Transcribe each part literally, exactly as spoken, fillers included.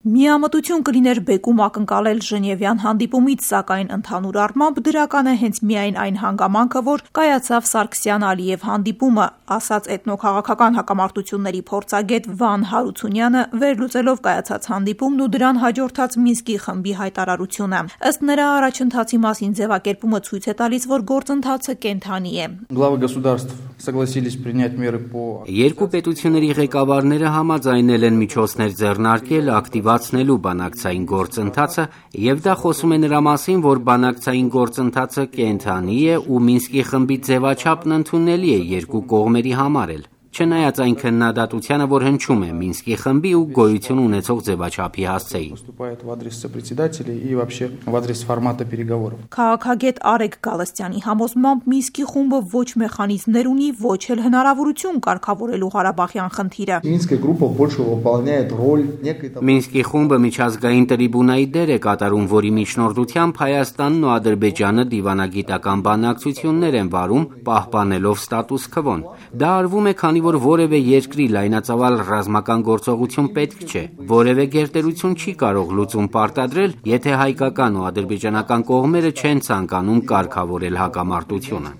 Միամտություն կլիներ բեկում ակնկալել Ժնևյան հանդիպումից, սակայն ընդհանուր առմամբ դրական է հենց միայն այն հանգամանքը, որ կայացավ Սարգսյան-Ալիև հանդիպումը, ասաց էթնոքաղաքական հակամարտությունների փորձագետ Վան Հարությունյանը, վերլուծելով կայացած հանդիպումն ու դրան հաջորդած Մինսկի խմբի հայտարարությունը։ Ըստ նրա, առաջընթացի մասին ձևակերպումը ցույց է տալիս, որ գործընթացը կենդանի է։ Երկու պետությունների ղեկավարները համաձայնել են միջոցներ ձեռնարկել ակտիվացնելու բանակցային գործընթացը, եւ դա խոսում է նրա մասին, որ բանակցային գործընթացը կենդանի է ու Մինսկի խմբի ձևաչափն ընդունելի է երկու կողմերի համար էլ։ Չնայած այն քննադատությանը, որ հնչում է Մինսկի խմբի ու գոյություն ունեցող ձևաչափի հասցեին։ Քաղաքագետ Արեգ Գալստյանի համոզմամբ Մինսկի խումբը ոչ մեխանիզմներ ունի, ոչ էլ հնարավորություն կարգավորելու Ղարաբաղյան խնդիրը։ Մինսկի խումբը միջազգային տրիբունայի դեր է կատարում, որի միջնորդությամբ Հայաստանն ու Ադրբեջանը դիվանագիտական բանակցություններ են վարում, պահպանելով ստատուս քվոն։ Դա արվում է, քանի որ որևէ երկրի լայնածավալ ռազմական գործողություն պետք չէ։ Որևէ գերտերություն չի կարող լուծում պարտադրել, եթե հայկական ու ադրբեջանական կողմերը չեն ցանկանում կարգավորել հակամարտությունը։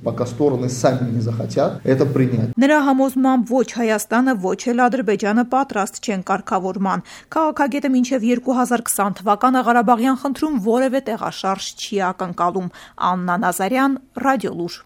Նրա համոզմամբ ոչ Հայաստանը, ոչ էլ Ադրբեջանը պատրաստ չեն կարգավորման։ Քաղաքագետը մինչև երկու հազար քսան թվականը Ղարաբաղյան խնդրում որևէ տեղաշարժ չի ակնկալում։ Աննա Նազարյան, Ռադիոլուր։